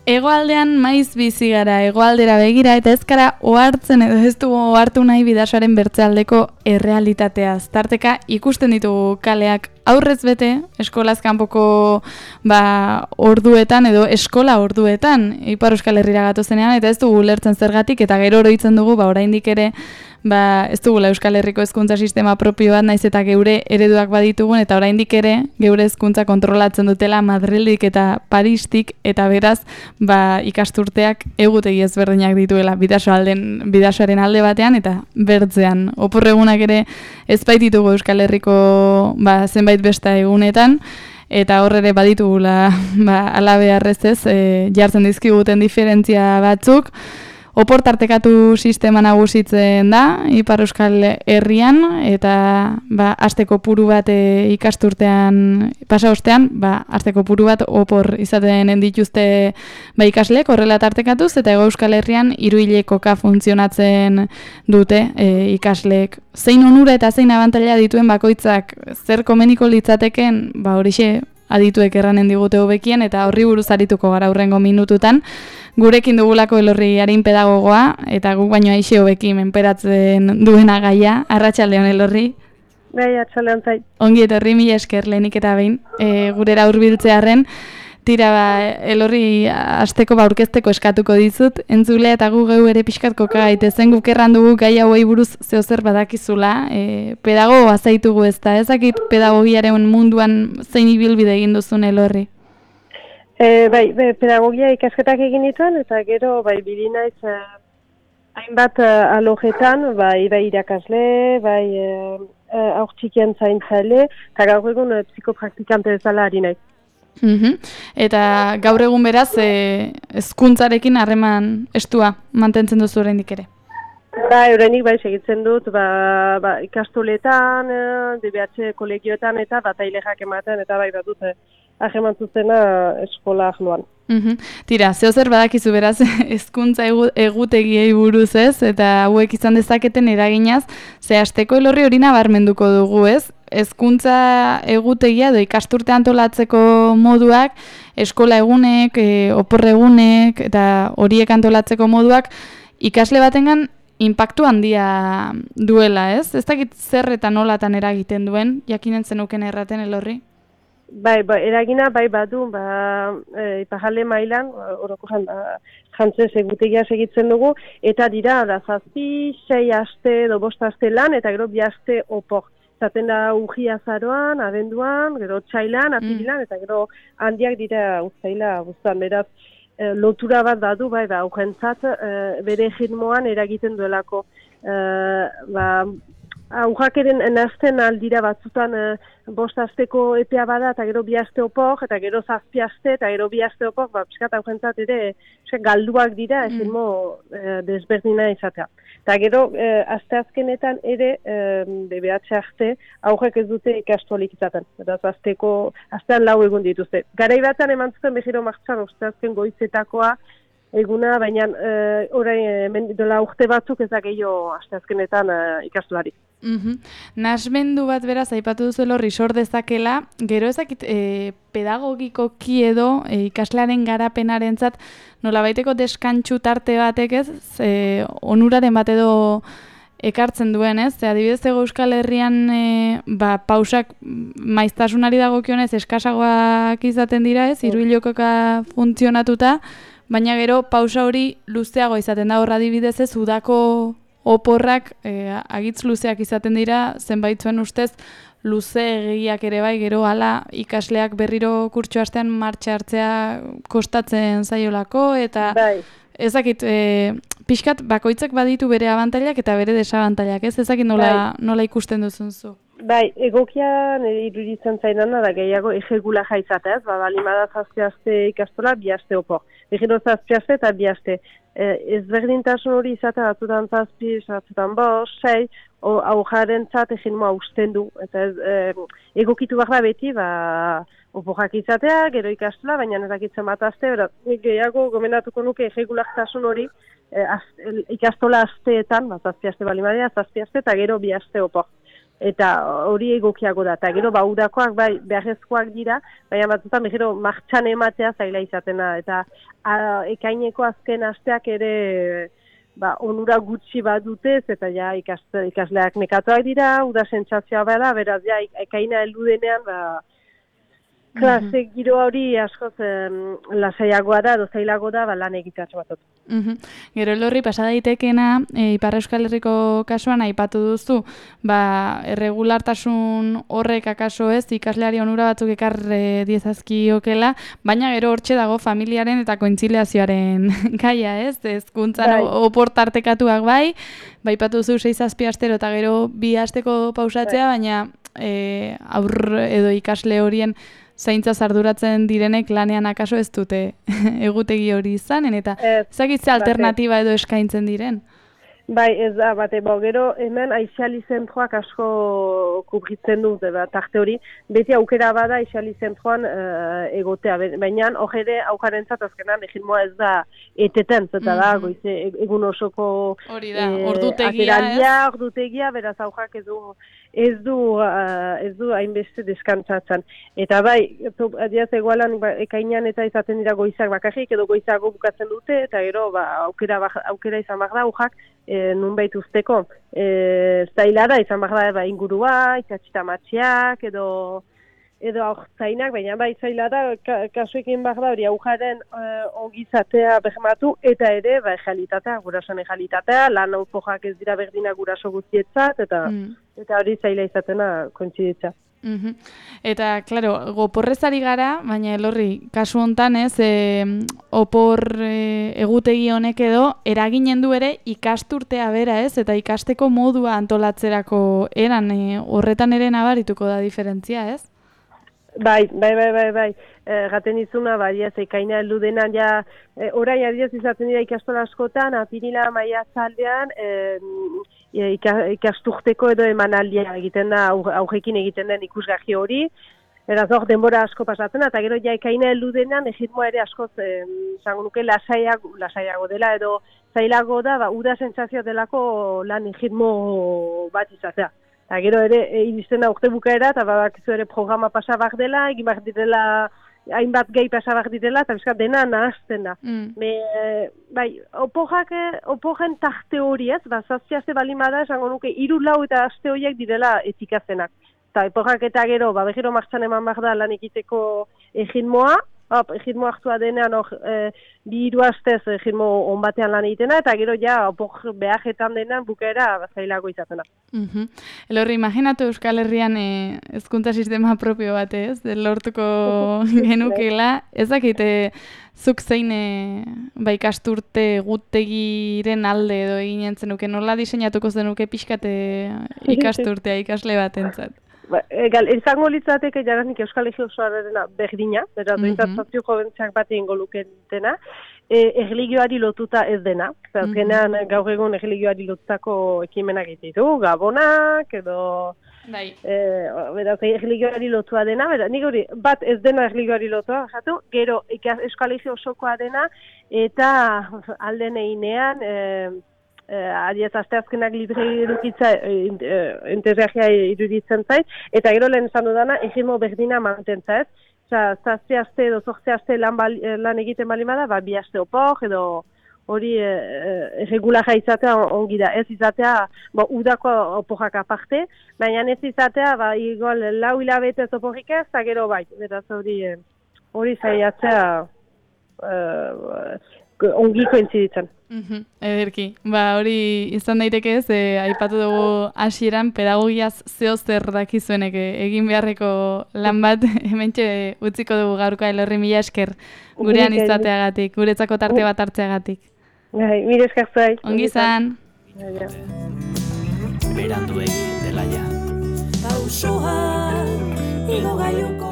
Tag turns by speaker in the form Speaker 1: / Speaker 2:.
Speaker 1: Hegoaldean maiz bizi gara, hegoaldera begira, eta ez gara ohartzen edo ez dugu ohartu nahi Bidasoaren bertzealdeko errealitatea. Tarteka ikusten ditugu kaleak aurrez bete, eskolaz kanpoko orduetan edo eskola orduetan, Ipar Euskal Herrira gatozenean, eta ez dugu ulertzen zergatik, eta gero oroitzen dugu, oraindik ere, ez dugula Euskal Herriko hezkuntza sistema propio bat, naiz eta geure ereduak baditugun, eta oraindik ere geure hezkuntza kontrolatzen dutela Madrildik eta Paristik, eta beraz, ikasturteak egutegi ezberdinak dituela Bidasoaren alde batean eta bertzean. Oporregunak ere ez baititugu Euskal Herriko zenbait besta egunetan, eta horre ere baditugula alabearrez ez, jartzen dizkiguten diferentzia batzuk. Opor tartekatu sistema nagusitzen da, Ipar Euskal Herrian, eta asteko puru bat ikasturtean pasa ostean, asteko puru bat opor izaten dituzte ikasleek horrela tartekatuz, eta Hego Euskal Herrian 3 hilekoka funtzionatzen dute ikasleek. Zein onura eta zein abantaila dituen bakoitzak zer komeniko litzateken, horixe adituek erranen digute hobekien, eta horri buruz arituko gara hurrengo minututan. Gurekin dugulako Elorri Arin pedagogoa, eta guk baino aixe hobeki menperatzen duena gaia. Arratsaldeon Elorri.
Speaker 2: Bai, arratsaldeon zait.
Speaker 1: Ongi etorri, mila esker lehenik eta behin, gurera hurbiltzearren. Tira, Elorri asteko aurkezteko eskatuko dizut, entzulea eta gu geu ere pixkat koka gaitezen, guk erran dugu gai hauei buruz zeozer badakizula, pedagogoa zaitugu ezakit pedagogiaren munduan zein ibilbide egin duzun Elorri?
Speaker 2: Pedagogia ikasketak egin dituen, eta gero bili naiz hainbat alojetan, bai irakasle, haur txikien zaintzaile, eta gaur egun psikopraktikante bezala ari naiz.
Speaker 1: Eta gaur egun beraz, hezkuntzarekin harreman estua mantentzen duzu oraindik ere?
Speaker 2: Oraindik segitzen dut, ikastoletan, DBH kolegioetan eta bataileak ematen, eta badut harreman zuzena eskola ahloan.
Speaker 1: Tira, zeozer badakizu beraz, hezkuntza egutegiei buruz ez, eta hauek izan dezaketen eraginaz, ze asteko Elorri hori nabarmenduko dugu ez, hezkuntza egutegia edo ikasturte antolatzeko moduak, eskola egunek, opor egunek, eta horiek antolatzeko moduak, ikasle batengan inpaktu handia duela ez? Ez dakit zer eta nolatan eragiten duen, jakinen zenuken erraten Elorri?
Speaker 2: Eragina badu, iparralde mailan, orokorren jantzez egutegia segitzen dugu, eta dira, 7-6 aste edo 5 aste lan, eta gero 2 aste opor. Zaten da urria azaroan, abenduan, gero txailan, apirilan, eta gero handiak dira uztaila guztan. Beraz, lotura bat badu, aurrentzat, bere ritmoan eragiten duelako. Aurrak eren nazten aldira batzutan 5 asteko epea bada, eta gero 2 aste opor, eta gero 7 aste, eta gero 2 aste opor, piskat aurrentzat ere galduak dira, ritmo desberdina izatea. Eta gero, aste azkenetan ere, DBH arte, aurrek ez dute ikastolik izaten. Beraz, astean 4 egun dituzte. Garai batean eman zuten behiro martxan, aste azken goizetakoa eguna, baina orain dola urte batzuk ez da gehiago aste azkenetan ikastolari.
Speaker 1: Nasmendu bat beraz, aipatu duzu Elorri sor dezakela, gero ezakit pedagogikoki edo ikaslearen garapenarentzat nolabaiteko deskantsu tarte batek ez, onuraren bat edo ekartzen duen ez, adibidez Hego Euskal Herrian pausak maiztasunari dagokionez eskasagoak izaten dira ez, 3 hilekoka funtzionatuta, baina gero pausa hori luzeago izaten da, hor adibidez ez, udako oporrak agitz luzeak izaten dira, zenbait zuen ustez luze egiak ere bai, gero hala ikasleak berriro kurtso astean martxa hartzea kostatzen zaiolako, eta ezakit, pixkat bakoitzak baditu bere abantailak eta bere desabantailak, ez? Ezakit nola ikusten duzun zu?
Speaker 2: Egokian iruditzen zainana da gehiago egegula jaitzatez, balimada 7 aste ikastola, 2 aste opor. Egiro 7 aste eta 2 aste. Ezberdintasun hori izatea batzutan 7, batzutan 5, 6, aujaren zat eginmoa usten du. Eta egokitu behar da beti, oporrak izatea, gero ikastola, baina ezakitzen bat aste, gehiago gomendatuko nuke egegulaktasun hori ikastola asteetan, 7 aste balimadea, 7 aste eta gero 2 aste opor. eta hori egokiago da, eta gero udakoak bai beharrezkoak dira, baina batzutan gero martxan ematea zaila izatena, eta ekaineko azken asteak ere onura gutxi bat dutez, eta ja ikasleak nekatuak dira, uda sentsazioa bada, beraz ja ekaina heldu denean, klase giro hori askoz lasaiagoa da, dozailago da, lan egitatxo batot.
Speaker 1: Gero Elorri, pasa daitekena, Ipar Euskal Herriko kasuan aipatu duzu, erregulartasun horrek akaso ez, ikasleari onura batzuk ekar diezazkiokela, baina gero hortxe dago familiaren eta kointziliazioaren gaia ez, hezkuntzan oportartekatuak bai, aipatu duzu 6-7 astero eta gero 2 asteko pausatzea, baina aur edo ikasle horien zaintzaz arduratzen direnek lanean akaso ez dute egutegi hori izanen, eta ezagitze alternatiba edo eskaintzen diren?
Speaker 2: Bai, ez da, gero hemen aixiali zentroak asko kubritzen du, tarte hori, beti aukera bada aixiali zentroan egotea, baina hor ere aukarentzat azkenan egilmoa ez da eteten, zeta da, goize, egun osoko ordutegia, beraz aukak ez du hainbeste deskantzatzen. Eta bai, adiaz egualan ekainan eta izaten dira goizak bakarrik, edo goizago bukatzen dute, eta gero aukera izan behar da aukak nunbait usteko. Zaila da izan behar da ingurua, itxatxita matxiak, edo aurtzainak, baina bai zaila da, kasuekin behar da hori aujaren ongizatea behematu, eta ere ejalitatea, gurasoan ejalitatea, lan auzojak ez dira berdina guraso guztietzat, eta hori zaila izatena kointziditza.
Speaker 1: Eta, klaro, goporrezari gara, baina Elorri, kasu hontan ez, opor egutegi honek edo, eraginen du ere ikasturtea bera ez, eta ikasteko modua antolatzerako eran, horretan ere nabarituko da diferentzia ez?
Speaker 2: Bai. Gaten izuna, ez ekaina heldu denan, orain adiaz izaten dira ikastola askotan, apirila maiatzaldean, ikasturteko edo emanaldia egiten da, aurrekin egiten den ikusgarri hori, eraz hor denbora asko pasatzen, eta gero ekaina heldu denan, egitmoa ere askoz, zango nuke, lasaiago dela, edo zailago da, uda sentsazioa delako lan egitmo bat izatea. Eta gero ere, iristen da urte bukaera, eta bakizu ere programa pasabak dela, egin behar direla, hainbat gehi pasabak direla, eta bizkat dena nahazten da. Bai, oporen tarte hori ez, zazpi aste balin bada, esango nuke, 3-4 eta aste horiek direla etikazenak. Eta eporak eta gero, behiro martxan eman behar da lan egiteko egitmoa, egitmo hartua denean 2-3 astez egitmo onbatean lan egitena, eta gero opor behajetan denean bukaera zailago izatena.
Speaker 1: Elorri, imaginatu Euskal Herrian hezkuntza sistema propio bat ez, lortuko genukela, ez dakite zuk zein ikasturte gutegiren alde edo eginen zenuke, nola diseinatuko zenuke pixkate ikasturtea ikasle batentzat? Izango
Speaker 2: litzateke jaranik Euskal Herri osoarena berdina, beraz dointzat sozio joventzeak bat egingo luketena, erligioari lotuta ez dena. Azkenean gaur egun erligioari lotutako ekimenak egitetu, gabonak, edo beraz erligioari lotua dena, nik hori bat ez dena erligioari lotua, gero Euskal Herri osokoa dena, eta alden einean, adiez asteazkenak libre edukitza interesgarria iruditzen zait, eta gero lehen esan dudana, egimo berdina mantentza ez. Zazpi aste edo 8 aste lan egiten bali bada, 2 aste opor, edo hori regularra izatea ongi da. Ez izatea, udako oporrak aparte, baina ez izatea, igual 4 hilabetez oporrik ez, eta gero bai, beraz hori zaiatzea ongi kointziditzen.
Speaker 1: Ederki, hori izan daiteke ez, aipatu dugu hasieran pedagogiaz zeozer dakizuenek egin beharreko lan bat, hementxe utziko dugu gaurkoa. Elorri, mila esker gurean izateagatik, guretzako tarte bat hartzeagatik.
Speaker 2: Mila esker zai.
Speaker 1: Ongi izan.
Speaker 3: Berandu egin dela ja. Pausoa, igo gaioko